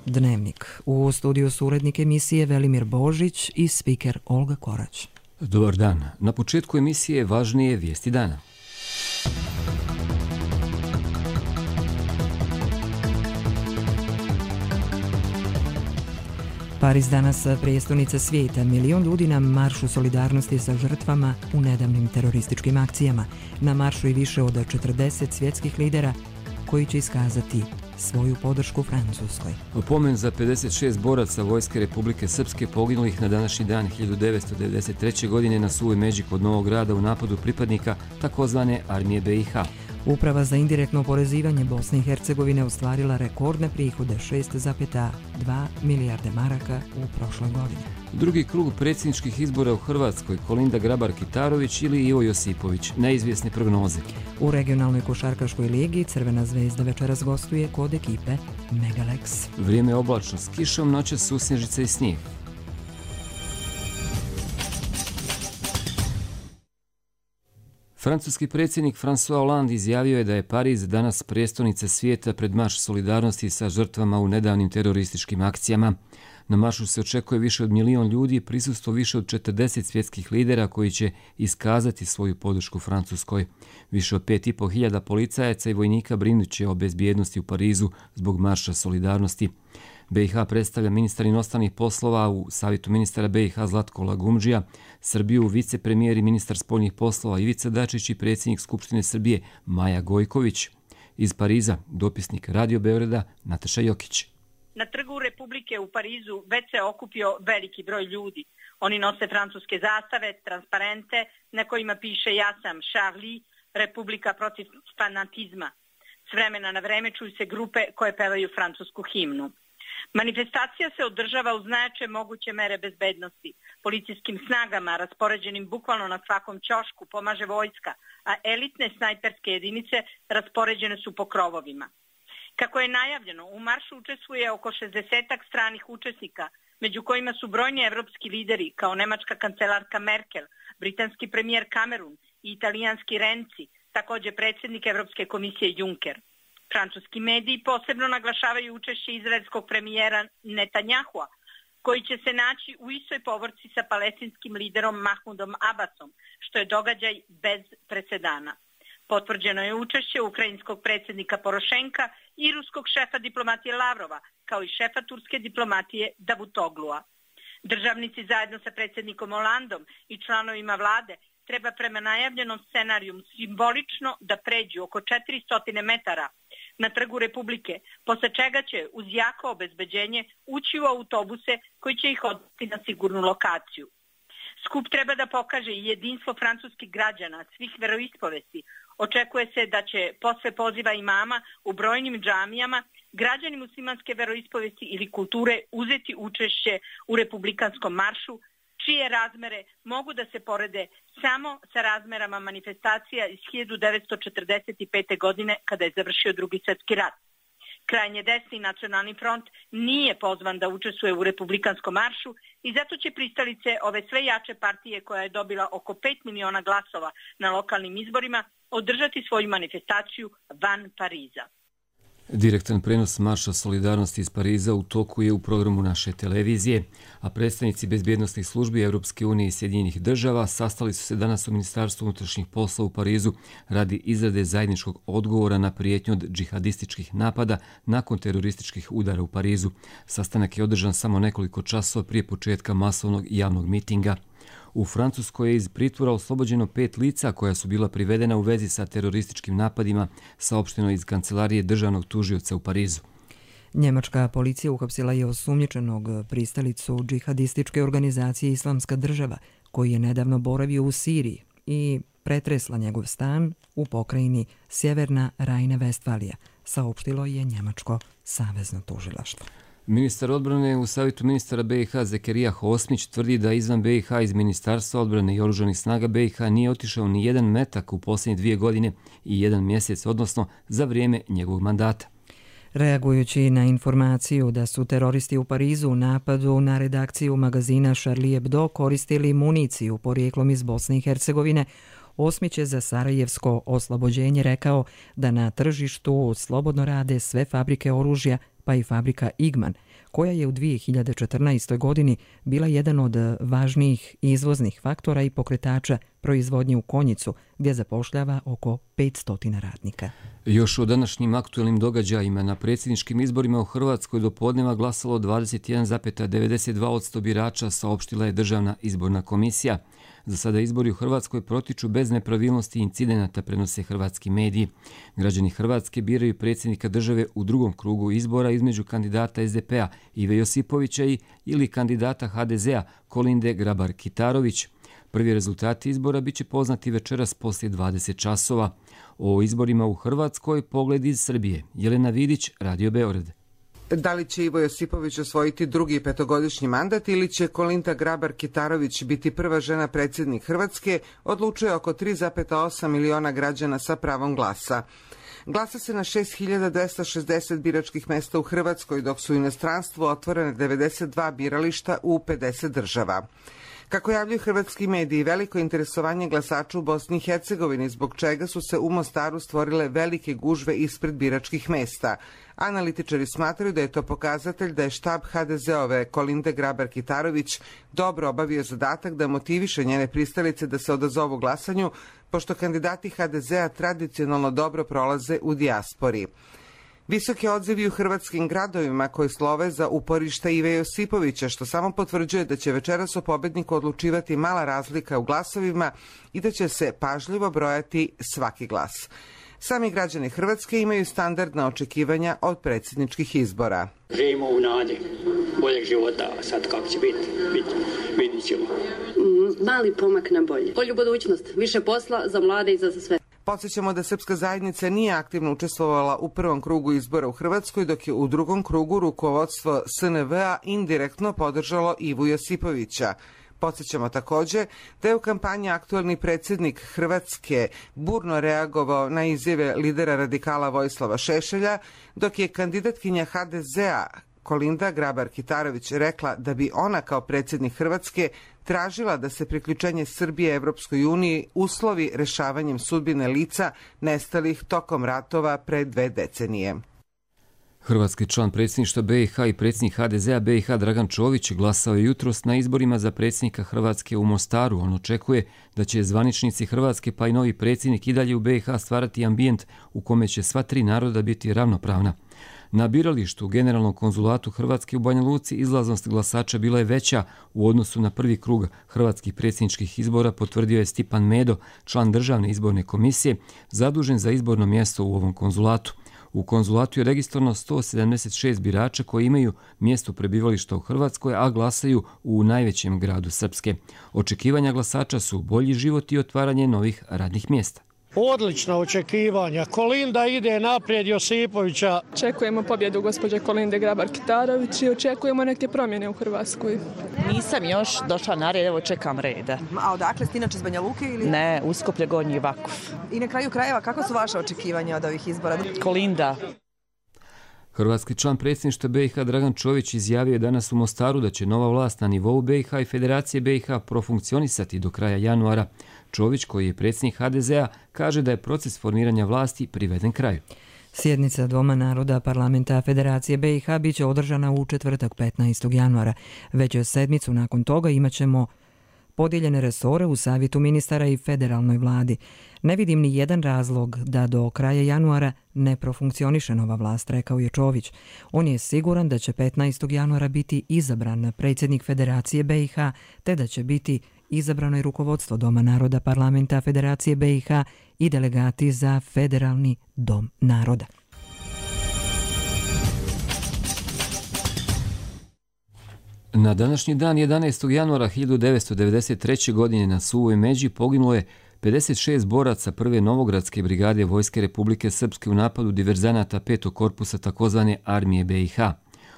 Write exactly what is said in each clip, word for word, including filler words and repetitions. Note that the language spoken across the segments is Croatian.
Dnevnik. U studiju su urednik emisije Velimir Božić i spiker Olga Korać. Dobar dan. Na početku emisije važnije vijesti dana. Pariz danas prijestolnica svijeta. Milion ljudi na maršu solidarnosti sa žrtvama u nedavnim terorističkim akcijama. Na maršu i više od četrdeset svjetskih lidera koji će iskazati svoju podršku Francuskoj. Pomen za pedeset šest boraca Vojske Republike Srpske poginulih na današnji dan hiljadu devetsto devedeset treće. godine na Suvoj Međi kod Novog Grada u napadu pripadnika takozvane armije B i H. Uprava za indirektno oporezivanje Bosne i Hercegovine ostvarila rekordne prihode šest zarez dva milijarde maraka u prošloj godini. Drugi krug predsjedničkih izbora u Hrvatskoj, Kolinda Grabar-Kitarović ili Ivo Josipović, neizvjesne prognoze. U regionalnoj košarkaškoj ligi Crvena zvezda večeras gostuje kod ekipe Megalex. Vrijeme je oblačno s kišom, noćas susnježica i snijeg. Francuski predsjednik François Hollande izjavio je da je Pariz danas prijestolnica svijeta pred marš solidarnosti sa žrtvama u nedavnim terorističkim akcijama. Na maršu se očekuje više od milion ljudi, prisustvo više od četrdeset svjetskih lidera koji će iskazati svoju podršku Francuskoj. Više od pet i pol hiljada policajaca i vojnika brinuće o bezbjednosti u Parizu zbog marša solidarnosti. B i H predstavlja ministar inostranih poslova u Savjetu ministara B i H Zlatko Lagumdžija, Srbiju vicepremijer i ministar spoljnih poslova Ivica Dačić i predsjednik Skupštine Srbije Maja Gojković. Iz Pariza dopisnik Radio Beograda Nataša Jokić. Na trgu Republike u Parizu već se okupio veliki broj ljudi. Oni nose francuske zastave, transparente na kojima piše "Ja sam Charlie, Republika protiv fanatizma". S vremena na vreme čuju se grupe koje pevaju francusku himnu. Manifestacija se održava uz najjače moguće mere bezbednosti. Policijskim snagama, raspoređenim bukvalno na svakom ćošku, pomaže vojska, a elitne snajperske jedinice raspoređene su po krovovima. Kako je najavljeno, u maršu učestvuje oko šezdesetak stranih učesnika, među kojima su brojni evropski lideri kao nemačka kancelarka Merkel, britanski premijer Cameron i italijanski Renzi, također predsjednik Evropske komisije Juncker. Francuski mediji posebno naglašavaju učešće izraelskog premijera Netanjahua, koji će se naći u istoj povorci sa palestinskim liderom Mahmudom Abbasom, što je događaj bez presedana. Potvrđeno je učešće ukrajinskog predsjednika Porošenka i ruskog šefa diplomatije Lavrova, kao i šefa turske diplomatije Davutoglua. Državnici zajedno sa predsjednikom Hollandom i članovima vlade treba prema najavljenom scenariju simbolično da pređu oko četiristo metara na trgu Republike, posle čega će uz jako obezbeđenje ući u autobuse koji će ih odvesti na sigurnu lokaciju. Skup treba da pokaže i jedinstvo francuskih građana, svih veroispovesti. Očekuje se da će posle poziva imama u brojnim džamijama građani muslimanske veroispovesti ili kulture uzeti učešće u republikanskom maršu, čije razmere mogu da se porede samo sa razmerama manifestacija iz hiljadu devetsto četrdeset pete. godine kada je završio Drugi svjetski rat. Krajnje desni Nacionalni front nije pozvan da učestvuje u republikanskom maršu i zato će pristalice ove sve jače partije koja je dobila oko pet miliona glasova na lokalnim izborima održati svoju manifestaciju van Pariza. Direktan prenos marša solidarnosti iz Pariza u toku je u programu naše televizije, a predstavnici bezbjednosnih službi Europske unije i Sjedinjenih država sastali su se danas u Ministarstvu unutrašnjih poslova u Parizu radi izrade zajedničkog odgovora na prijetnju od džihadističkih napada nakon terorističkih udara u Parizu. Sastanak je održan samo nekoliko časova prije početka masovnog javnog mitinga. U Francuskoj je iz pritvora oslobođeno pet lica koja su bila privedena u vezi sa terorističkim napadima, saopšteno iz kancelarije državnog tužioca u Parizu. Njemačka policija uhapsila je osumnjičenog pristalicu džihadističke organizacije Islamska država, koji je nedavno boravio u Siriji i pretresla njegov stan u pokrajini Sjeverna Rajna-Vestfalija, saopštilo je njemačko savezno tužilaštvo. Ministar odbrane u Savjetu ministara B i H Zekerija Hosmić tvrdi da izvan B i H iz Ministarstva odbrane i oružanih snaga B i H nije otišao ni jedan metak u posljednje dvije godine i jedan mjesec, odnosno za vrijeme njegovog mandata. Reagujući na informaciju da su teroristi u Parizu u napadu na redakciju magazina Charlie Hebdo koristili municiju porijeklom iz Bosne i Hercegovine, Osmić je za Sarajevsko oslobođenje rekao da na tržištu slobodno rade sve fabrike oružja, pa i fabrika Igman, koja je u dvije hiljade četrnaestoj. godini bila jedan od važnijih izvoznih faktora i pokretača proizvodnje u Konjicu, gdje zapošljava oko petsto radnika. Još o današnjim aktuelnim događajima na predsjedničkim izborima u Hrvatskoj do podneva glasalo dvadeset jedan zarez devedeset dva posto birača, saopštila je Državna izborna komisija. Za sada izbori u Hrvatskoj protiču bez nepravilnosti i incidenata, prenose hrvatski mediji. Građani Hrvatske biraju predsjednika države u drugom krugu izbora između kandidata es de pe a Ive Josipovića i ili kandidata ha de zea Kolinde Grabar-Kitarović. Prvi rezultati izbora biće poznati večeras poslije dvadeset časova. O izborima u Hrvatskoj pogled iz Srbije. Jelena Vidić, Radio Beograd. Da li će Ivo Josipović osvojiti drugi petogodišnji mandat ili će Kolinda Grabar-Kitarović biti prva žena predsjednik Hrvatske, odlučuje oko tri zarez osam miliona građana sa pravom glasa. Glasa se na šest hiljada dvesta šezdeset biračkih mesta u Hrvatskoj, dok su u inostranstvu otvorene devedeset dva birališta u pedeset država. Kako javljaju hrvatski mediji, veliko interesovanje glasača u Bosni i Hercegovini, zbog čega su se u Mostaru stvorile velike gužve ispred biračkih mesta. Analitičari smatraju da je to pokazatelj da je štab ha de zeove Kolinde Grabar-Kitarović dobro obavio zadatak da motiviše njene pristalice da se odazovu glasanju, pošto kandidati ha de zea tradicionalno dobro prolaze u dijaspori. Visoki odzivi u hrvatskim gradovima koji slove za uporišta Ive Josipovića, što samo potvrđuje da će večeras o pobedniku odlučivati mala razlika u glasovima i da će se pažljivo brojati svaki glas. Sami građani Hrvatske imaju standardna očekivanja od predsjedničkih izbora. Živimo u nadi boljeg života, a sad kako će biti, biti vidit ćemo. Mali pomak na bolje. Bolju budućnost, više posla za mlade i za sve. Podsjećamo da srpska zajednica nije aktivno učestvovala u prvom krugu izbora u Hrvatskoj, dok je u drugom krugu rukovodstvo es en ve a indirektno podržalo Ivu Josipovića. Podsjećamo također da je u kampanji aktuelni predsjednik Hrvatske burno reagovao na izjave lidera radikala Vojislava Šešelja, dok je kandidatkinja ha de zea Kolinda Grabar-Kitarović rekla da bi ona kao predsjednik Hrvatske tražila da se priključenje Srbije Evropskoj uniji uslovi rešavanjem sudbine lica nestalih tokom ratova pre dve decenije. Hrvatski član predsjedništva be i ha i predsjednik ha de zea be i ha Dragan Čović glasao je jutros na izborima za predsjednika Hrvatske u Mostaru. On očekuje da će zvaničnici Hrvatske pa i novi predsjednik i dalje u be i ha stvarati ambijent u kome će sva tri naroda biti ravnopravna. Na biralištu u Generalnom konzulatu Hrvatske u Banja Luci izlaznost glasača bila je veća u odnosu na prvi krug hrvatskih predsjedničkih izbora, potvrdio je Stipan Medo, član Državne izborne komisije, zadužen za izborno mjesto u ovom konzulatu. U konzulatu je registrovano sto sedamdeset šest birača koji imaju mjesto prebivališta u Hrvatskoj, a glasaju u najvećem gradu Srpske. Očekivanja glasača su bolji život i otvaranje novih radnih mjesta. Odlična očekivanja. Kolinda ide naprijed Josipovića. Očekujemo pobjedu gospođe Kolinde Grabar-Kitarović i očekujemo neke promjene u Hrvatskoj. Nisam još došla na red, evo čekam reda. A odakle ste inače iz Banja Luke ili? Ne, Uskoplje, Gornji Vakuf. I na kraju krajeva, kako su vaše očekivanja od ovih izbora? Kolinda. Hrvatski član predsjedništva be i ha Dragan Čović izjavio je danas u Mostaru da će nova vlast na nivou be i ha i Federacije be i ha profunkcionisati do kraja januara. Čović, koji je predsjednik ha de zea, kaže da je proces formiranja vlasti priveden kraju. Sjednica Doma naroda parlamenta Federacije be i ha biće održana u četvrtak petnaestog januara. Već sedmicu nakon toga imat ćemo podijeljene resore u savjetu ministara i federalnoj vladi. Ne vidim ni jedan razlog da do kraja januara ne profunkcioniše nova vlast, rekao je Čović. On je siguran da će petnaestog januara biti izabran predsjednik Federacije be i ha, te da će biti izabrano i rukovodstvo Doma naroda parlamenta Federacije be i ha i delegati za Federalni dom naroda. Na današnji dan jedanaestog januara hiljadu devetsto devedeset treće. godine na Suvoj Međi poginulo je pedeset šest boraca prve Novogradske brigade Vojske Republike Srpske u napadu diverzanata petog korpusa takozvane armije be i ha.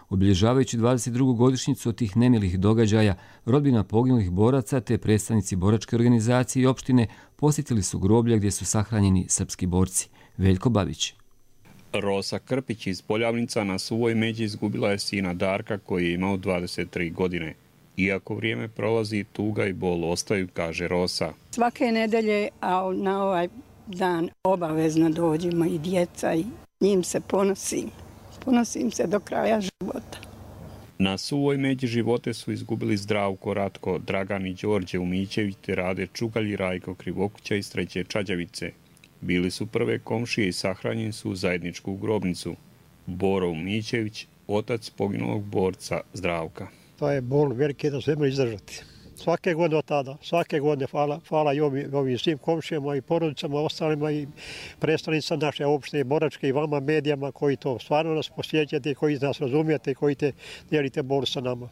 Obilježavajući dvadeset drugu godišnjicu od tih nemilih događaja, rodbina poginulih boraca te predstavnici boračke organizacije i opštine posjetili su groblja gdje su sahranjeni srpski borci. Veljko Babić. Rosa Krpić iz Poljavnica na Suvoj Međi izgubila je sina Darka koji je imao dvadeset tri godine. Iako vrijeme prolazi, tuga i bol ostaju, kaže Rosa. Svake nedelje, a na ovaj dan obavezno dođemo i djeca i njim se ponosim. ponosim se do kraja života. Na suvoj međi živote su izgubili Zdravko, Ratko, Dragan i Đorđe Umićević te Rade Čugalj i Rajko Krivokuća iz Treće Čađavice. Bili su prve komšije i sahranjeni su u zajedničku grobnicu. Boro Umićević, otac poginulog borca Zdravka. To je bol veliki da se izdržati. Svake godine od tada, svake godine hvala, hvala i ovim, ovim svim komšijama i porodicama, ostalima i predstavnicama naše opštine Boračke i vama medijama koji to stvarno nas posjećate, koji nas razumijete, koji te dijelite bol sa nama.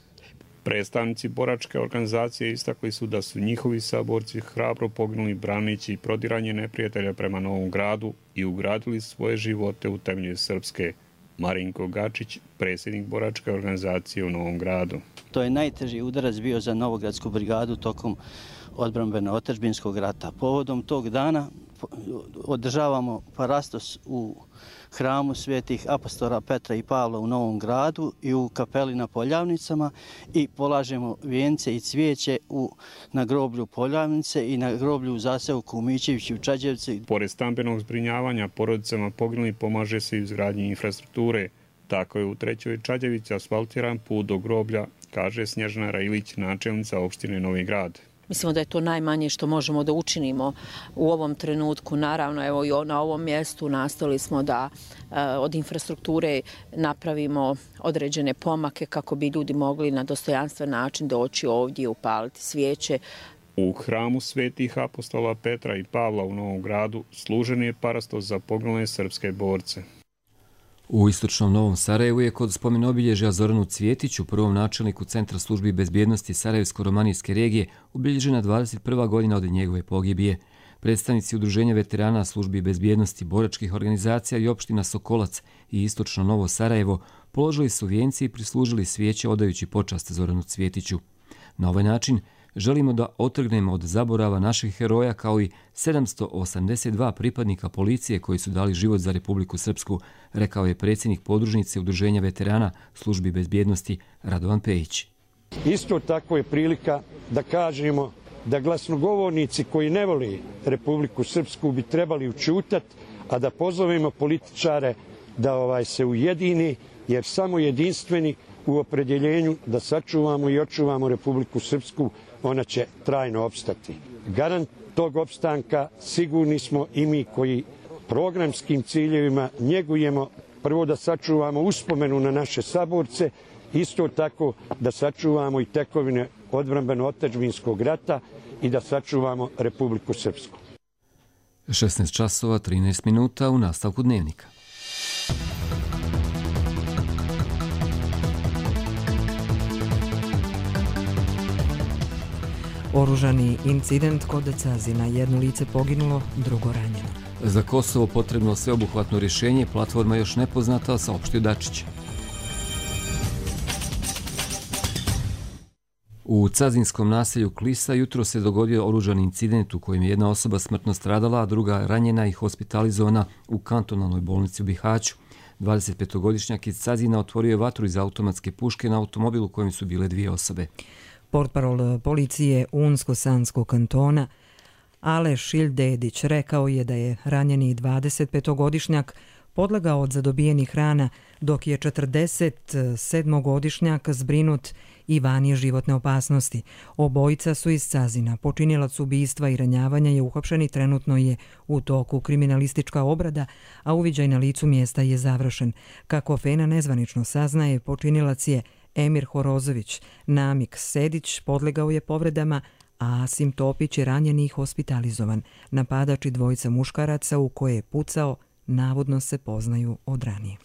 Predstavnici Boračke organizacije istakli su da su njihovi saborci hrabro poginuli braneći prodiranje neprijatelja prema Novom Gradu i ugradili svoje živote u temelje srpske. Marinko Gačić, predsjednik Boračke organizacije u Novom Gradu. To je najteži udarac bio za Novogradsku brigadu tokom odbrambeno-otadžbinskog rata. Povodom tog dana održavamo parastos u hramu svetih apostola Petra i Pavla u Novom Gradu i u kapeli na Poljavnicama i polažemo vijence i cvijeće u, na groblju Poljavnice i na groblju u zaseoku u Mićeviću u Čađevci. Pored stambenog zbrinjavanja porodicama poginulih pomaže se i izgradnji infrastrukture. Tako je u Trećoj Čađevici asfaltiran put do groblja, kaže Snježana Rajilić, načelnica opštine Novi Grad. Mislimo da je to najmanje što možemo da učinimo u ovom trenutku. Naravno, evo i na ovom mjestu nastali smo da e, od infrastrukture napravimo određene pomake kako bi ljudi mogli na dostojanstven način doći ovdje i upaliti svijeće. U hramu svetih apostola Petra i Pavla u Novom Gradu služen je parastos za poginule srpske borce. U istočnom Novom Sarajevu je kod spomen obilježja Zoranu Cvjetiću, prvom načelniku Centra službi bezbjednosti Sarajevsko-romanijske regije, obilježena dvadeset prva godina od njegove pogibije. Predstavnici Udruženja veterana službi bezbjednosti, boračkih organizacija i opština Sokolac i istočno Novo Sarajevo položili su vijenci i prislužili svijeće odajući počast Zoranu Cvjetiću. Na ovaj način želimo da otrgnemo od zaborava naših heroja kao i sedamsto osamdeset dva pripadnika policije koji su dali život za Republiku Srpsku, rekao je predsjednik podružnice Udruženja veterana službi bezbjednosti Radovan Pejić. Isto tako je prilika da kažemo da glasnogovornici koji ne voli Republiku Srpsku bi trebali učutat, a da pozovemo političare da ovaj se ujedini, jer samo jedinstveni u opredjeljenju da sačuvamo i očuvamo Republiku Srpsku, ona će trajno opstati. Garant tog opstanka sigurni smo i mi koji programskim ciljevima njegujemo prvo da sačuvamo uspomenu na naše saborce, isto tako da sačuvamo i tekovine odbrambeno-otadžbinskog rata i da sačuvamo Republiku Srpsku. šesnaest časova trinaest minuta u nastavku dnevnika. Oružani incident kod Cazina, jedno lice poginulo, drugo ranjeno. Za Kosovo potrebno sveobuhvatno rješenje, platforma još nepoznata, saopštio Dačić. U cazinskom naselju Klisa jutro se dogodio oružani incident u kojem je jedna osoba smrtno stradala, a druga ranjena i hospitalizovana u kantonalnoj bolnici u Bihaću. dvadesetpetogodišnjak iz Cazina otvorio je vatru iz automatske puške na automobilu u kojem su bile dvije osobe. Portparol policije Unsko-Sanskog kantona Aleš Ildedić rekao je da je ranjeni dvadesetpetogodišnjak podlegao od zadobijenih rana, dok je četrdesetsedmogodišnjak zbrinut i van je životne opasnosti. Obojica su iz Cazina. Počinilac ubistva i ranjavanja je uhapšen i trenutno je u toku kriminalistička obrada, a uviđaj na licu mjesta je završen. Kako Fena nezvanično saznaje, počinilac je Emir Horozović. Namik Sedić podlegao je povredama, a Asim Topić je ranjen i hospitalizovan. Napadač i dvojica muškaraca u koje je pucao navodno se poznaju od ranije.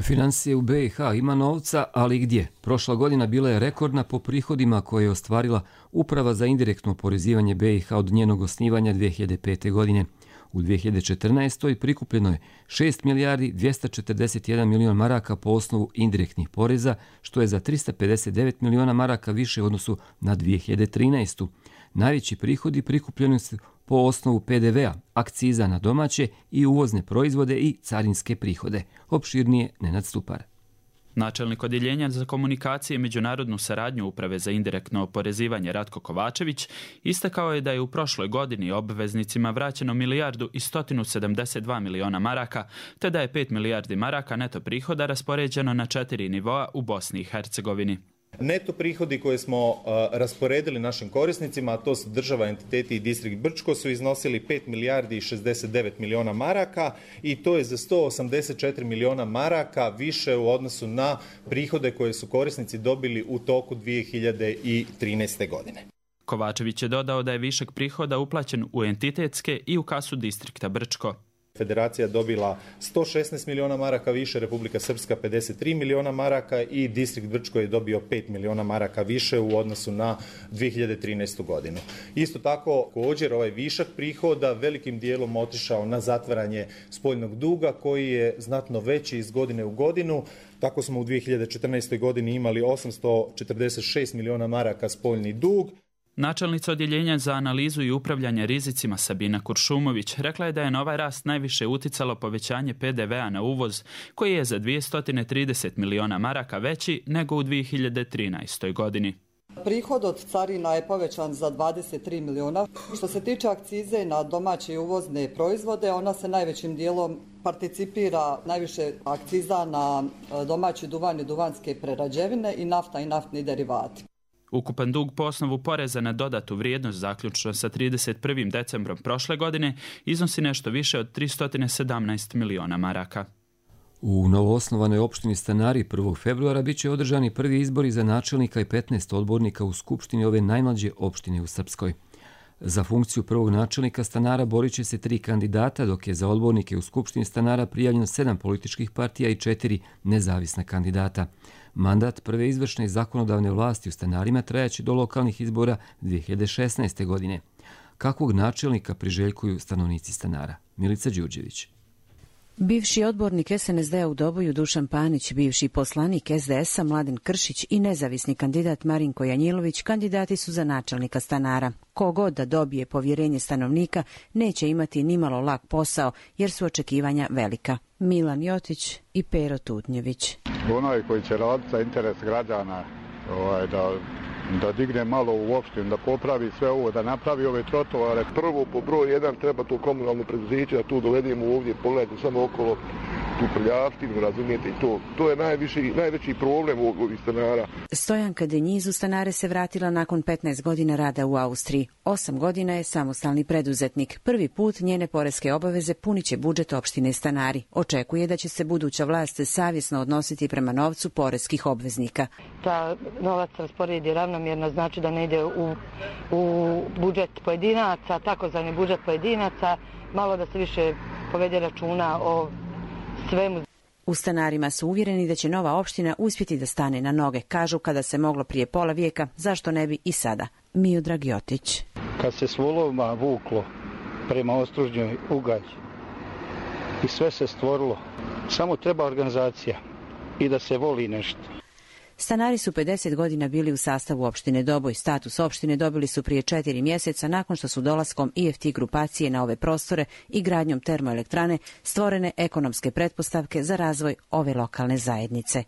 Financije u B i H ima novca, ali gdje? Prošla godina bila je rekordna po prihodima koje je ostvarila Uprava za indirektno oporezivanje B i H od njenog osnivanja dvije hiljade pete. godine. U dvije hiljade četrnaestoj prikupljeno je šest milijardi dvjesto četrdeset jedan milion maraka po osnovu indirektnih poreza, što je za trista pedeset devet miliona maraka više u odnosu na dvije hiljade trinaestu. Najveći prihodi prikupljeni su po osnovu P D V-a, akciza na domaće i uvozne proizvode i carinske prihode. Opširnije Nenad Stupar. Načelnik odjeljenja za komunikacije i međunarodnu saradnju Uprave za indirektno oporezivanje Ratko Kovačević istakao je da je u prošloj godini obveznicima vraćeno milijardu i stotinu sedamdeset dva miliona maraka, te da je pet milijardi maraka neto prihoda raspoređeno na četiri nivoa u Bosni i Hercegovini. Neto prihodi koje smo uh, rasporedili našim korisnicima, a to su država, entiteti i distrikt Brčko, su iznosili pet milijardi i šezdeset devet miliona maraka i to je za sto osamdeset četiri miliona maraka više u odnosu na prihode koje su korisnici dobili u toku dvije hiljade trinaeste. godine. Kovačević je dodao da je višak prihoda uplaćen u entitetske i u kasu distrikta Brčko. Federacija dobila sto šesnaest miliona maraka više, Republika Srpska pedeset tri miliona maraka i distrikt Brčko je dobio pet miliona maraka više u odnosu na dvije hiljade trinaestu. godinu. Isto tako, također ovaj višak prihoda velikim dijelom otišao na zatvaranje spoljnog duga koji je znatno veći iz godine u godinu. Tako smo u dvije hiljade četrnaestoj. godini imali osamsto četrdeset šest miliona maraka spoljni dug. Načelnica odjeljenja za analizu i upravljanje rizicima Sabina Kuršumović rekla je da je na ovaj rast najviše uticalo povećanje pe de vea na uvoz, koji je za dvjesto trideset miliona maraka veći nego u dvije hiljade trinaestoj. godini. Prihod od carina je povećan za dvadeset tri miliona. Što se tiče akcize na domaće i uvozne proizvode, ona se najvećim dijelom participira najviše akciza na domaći duvan i duvanske prerađevine i nafta i naftni derivati. Ukupan dug po osnovu poreza na dodatu vrijednost zaključno sa trideset prvim decembrom prošle godine iznosi nešto više od tristo sedamnaest miliona maraka. U novoosnovanoj opštini Stanari prvog februara bit će održani prvi izbori za načelnika i petnaest odbornika u skupštini ove najmlađe opštine u Srpskoj. Za funkciju prvog načelnika Stanara borit će se tri kandidata, dok je za odbornike u skupštini Stanara prijavljeno sedam političkih partija i četiri nezavisna kandidata. Mandat prve izvršne i zakonodavne vlasti u Stanarima trajaće do lokalnih izbora dvije hiljade šesnaeste. godine. Kakvog načelnika priželjkuju stanovnici Stanara? Milica Đurđević. Bivši odbornik es en es de a u Doboju Dušan Panić, bivši poslanik es de es a Mladen Kršić i nezavisni kandidat Marinko Janjilović kandidati su za načelnika Stanara. Kogod da dobije povjerenje stanovnika neće imati nimalo lak posao jer su očekivanja velika. Milan Jotić i Pero Tutnjević. Onaj koji će raditi za interes građana, ovaj, da, da digne malo u opštinu, da popravi sve ovo, da napravi ove trotovare. Prvo po broj jedan treba to komunalno preduzeće, da tu dovedemo ovdje, pogledajte samo okolo tu prljavštinu, razumijete, i to, to je najviši, najveći problem ovih stanara. Stojanka Denjiz u Stanare se vratila nakon petnaest godina rada u Austriji. Osam godina je samostalni preduzetnik. Prvi put njene poreske obaveze punit će budžet opštine Stanari. Očekuje da će se buduća vlast savjesno odnositi prema novcu poreskih obveznika. Ta novac rasporedi ravnomjerno, znači da ne ide u, u budžet pojedinaca, takozvani budžet pojedinaca, malo da se više povede računa o svemu. U Stanarima su uvjereni da će nova opština uspjeti da stane na noge. Kažu, kada se moglo prije pola vijeka, zašto ne bi i sada? Miodrag Jotić. Kad se s volovima vuklo prema Ostružnjoj Ugalj i sve se stvorilo, samo treba organizacija i da se voli nešto. Stanari su pedeset godina bili u sastavu opštine Doboj. Status opštine dobili su prije četiri mjeseca nakon što su dolaskom i ef te grupacije na ove prostore i gradnjom termoelektrane stvorene ekonomske pretpostavke za razvoj ove lokalne zajednice.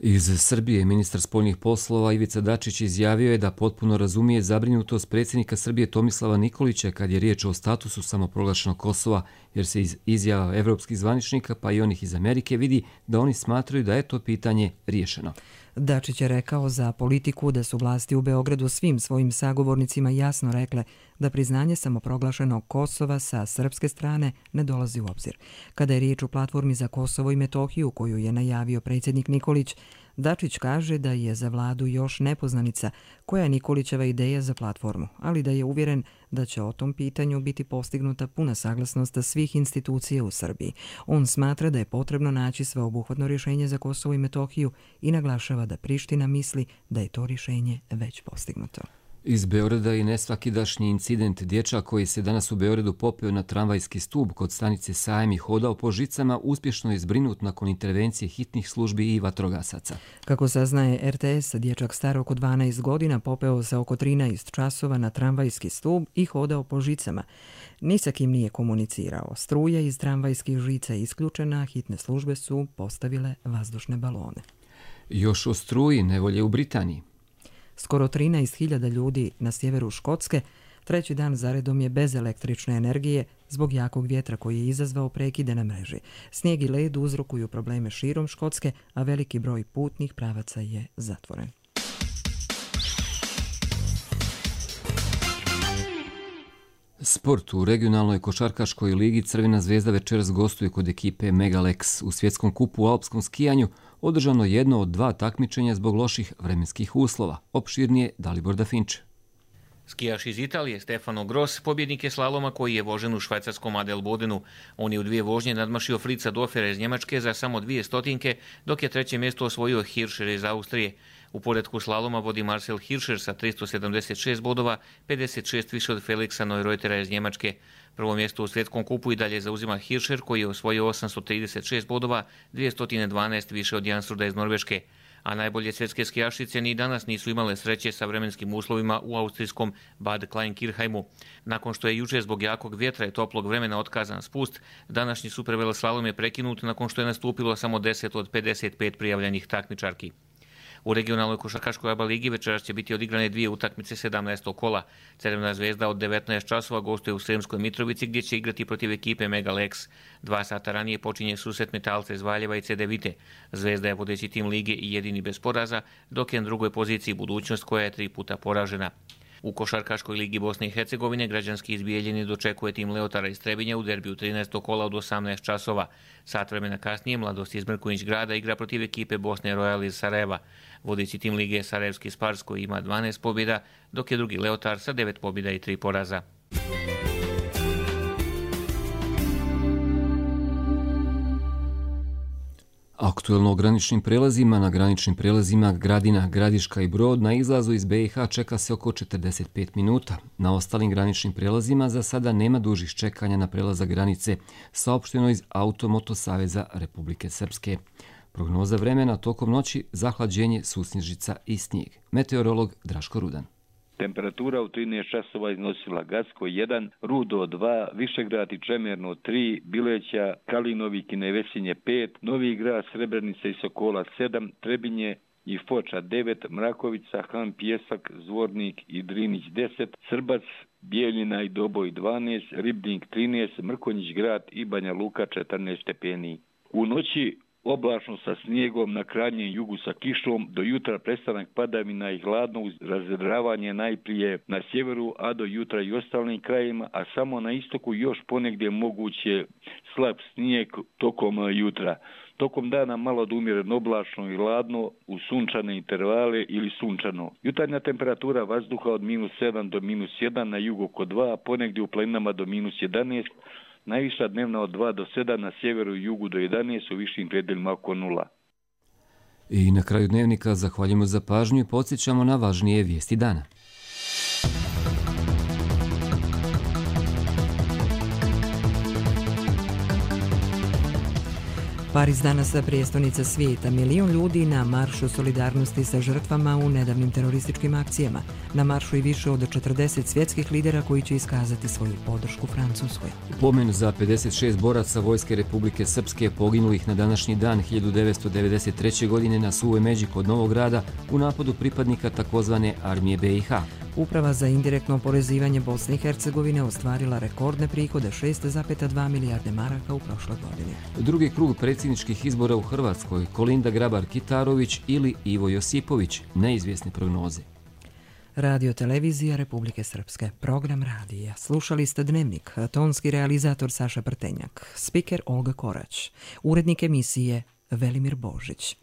Iz Srbije ministar spoljnih poslova Ivica Dačić izjavio je da potpuno razumije zabrinutost predsjednika Srbije Tomislava Nikolića kad je riječ o statusu samoproglašenog Kosova, jer se iz izjava evropskih zvaničnika pa i onih iz Amerike vidi da oni smatraju da je to pitanje riješeno. Dačić je rekao za Politiku da su vlasti u Beogradu svim svojim sagovornicima jasno rekle da priznanje samoproglašenog Kosova sa srpske strane ne dolazi u obzir. Kada je riječ o platformi za Kosovo i Metohiju koju je najavio predsjednik Nikolić, Dačić kaže da je za vladu još nepoznanica koja je Nikolićeva ideja za platformu, ali da je uvjeren da će o tom pitanju biti postignuta puna saglasnost svih institucija u Srbiji. On smatra da je potrebno naći sveobuhvatno rješenje za Kosovo i Metohiju i naglašava da Priština misli da je to rješenje već postignuto. Iz Beograda i nesvakidašnji incident dječak koji se danas u Beogradu popeo na tramvajski stub kod stanice Sajam i hodao po žicama uspješno je zbrinut nakon intervencije hitnih službi i vatrogasaca. Kako saznaje er te es, dječak star oko dvanaest godina popeo se oko trinaest časova na tramvajski stub i hodao po žicama. Ni sa kim nije komunicirao. Struja iz tramvajskih žica je isključena, hitne službe su postavile vazdušne balone. Još o struji nevolje u Britaniji. Skoro trinaest hiljada ljudi na sjeveru Škotske treći dan zaredom je bez električne energije zbog jakog vjetra koji je izazvao prekide na mreži. Snijeg i led uzrokuju probleme širom Škotske, a veliki broj putnih pravaca je zatvoren. Sport. U regionalnoj košarkaškoj ligi Crvena zvezda večeras gostuje kod ekipe Megalex. U svjetskom kupu u alpskom skijanju održano jedno od dva takmičenja zbog loših vremenskih uslova. Opširnije Dalibor Dafinče. Skijaš iz Italije Stefano Gross pobjednik je slaloma koji je vožen u švajcarskom Adelbodenu. On je u dvije vožnje nadmašio Fritza Dofera iz Njemačke za samo dvije stotinke, dok je treće mjesto osvojio Hirscher iz Austrije. U poredku slaloma vodi Marcel Hirscher sa tristo sedamdeset šest bodova, pedeset šest više od Felixa Neureutera iz Njemačke. Prvo mjesto u svjetskom kupu i dalje zauzima Hirscher koji je osvojio osamsto trideset šest bodova, dvjesto dvanaest više od Jansruda iz Norveške. A najbolje svjetske skijašice ni danas nisu imale sreće sa vremenskim uslovima u austrijskom Bad Kleinkirchheimu. Nakon što je jučer zbog jakog vjetra i toplog vremena otkazan spust, današnji superveleslalom je prekinut nakon što je nastupilo samo deset od pedeset pet prijavljenih takmičarki. U regionalnoj košarkaškoj A B A ligi večeras će biti odigrane dvije utakmice sedamnaestog kola. Crvena zvezda od devetnaest časova gostuje u Sremskoj Mitrovici gdje će igrati protiv ekipe Megalex. Dva sata ranije počinje susret Metalca iz Valjeva i C D Vite. Zvezda je vodeći tim lige i jedini bez poraza, dok je na drugoj poziciji Budućnost koja je tri puta poražena. U košarkaškoj ligi Bosne i Hercegovine građanski iz Bijeljine dočekuje tim Leotara iz Trebinja u derbiju trinaestog kola od osamnaest časova. Sat vremena kasnije Mladost iz Mrkonjić grada igra protiv ekipe Bosne Royal iz Sarajeva. Vodeći tim lige je Sarajevski Spars koji ima dvanaest pobjeda, dok je drugi Leotar sa devet pobjeda i tri poraza. Aktuelno o graničnim prelazima. Na graničnim prelazima Gradina, Gradiška i Brod na izlazu iz be i ha čeka se oko četrdeset pet minuta. Na ostalim graničnim prelazima za sada nema dužih čekanja na prelazak granice, saopšteno iz Automoto Saveza Republike Srpske. Prognoza vremena tokom noći zahlađenje, susnježica i snijeg. Meteorolog Draško Rudan. Temperatura u trinaest časova iznosila Gacko jedan, Rudo dva, Višegrad i Čemerno tri, Bileća, Kalinovik i Nevesinje pet, Novi Grad, Srebrenica i Sokola sedam, Trebinje i Foča devet, Mrakovica, Han, Pjesak, Zvornik i Drinić deset, Srbac, Bijeljina i Doboj dvanaest, Ribnik trinaest, Mrkonjić grad i Banja Luka četrnaest stepeni. U noći oblačno sa snijegom, na krajnjem jugu sa kišom, do jutra prestanak padavina i hladno uz razredravanje najprije na sjeveru, a do jutra i ostalim krajima, a samo na istoku još ponegdje moguće slab snijeg tokom jutra. Tokom dana malo da umjereno oblačno i hladno u sunčane intervale ili sunčano. Jutarnja temperatura vazduha od minus sedam do minus jedan, na jugu oko dva, a ponegdje u planinama do minus jedanaest, najviša dnevna od dva do sedam, na sjeveru i jugu do jedanaest, u višim predeljima oko nula. I na kraju dnevnika zahvaljujemo za pažnju i podsjećamo na važnije vijesti dana. Pariz danas prijestolnica svijeta. Milion ljudi na maršu solidarnosti sa žrtvama u nedavnim terorističkim akcijama. Na maršu i više od četrdeset svjetskih lidera koji će iskazati svoju podršku Francuskoj. Pomen za pedeset šest boraca Vojske Republike Srpske poginulih na današnji dan hiljadu devetsto devedeset treće. godine na Suvoj Međi kod Novog Grada u napadu pripadnika takozvane armije be i ha. Uprava za indirektno oporezivanje Bosne i Hercegovine ostvarila rekordne prihode šest zarez dva milijarde maraka u prošloj godini. Drugi krug predsjedničkih izbora u Hrvatskoj, Kolinda Grabar-Kitarović ili Ivo Josipović, neizvjesne prognoze. Radio Televizija Republike Srpske, program radija. Slušali ste Dnevnik, tonski realizator Saša Prtenjak, spiker Olga Korać, urednik emisije Velimir Božić.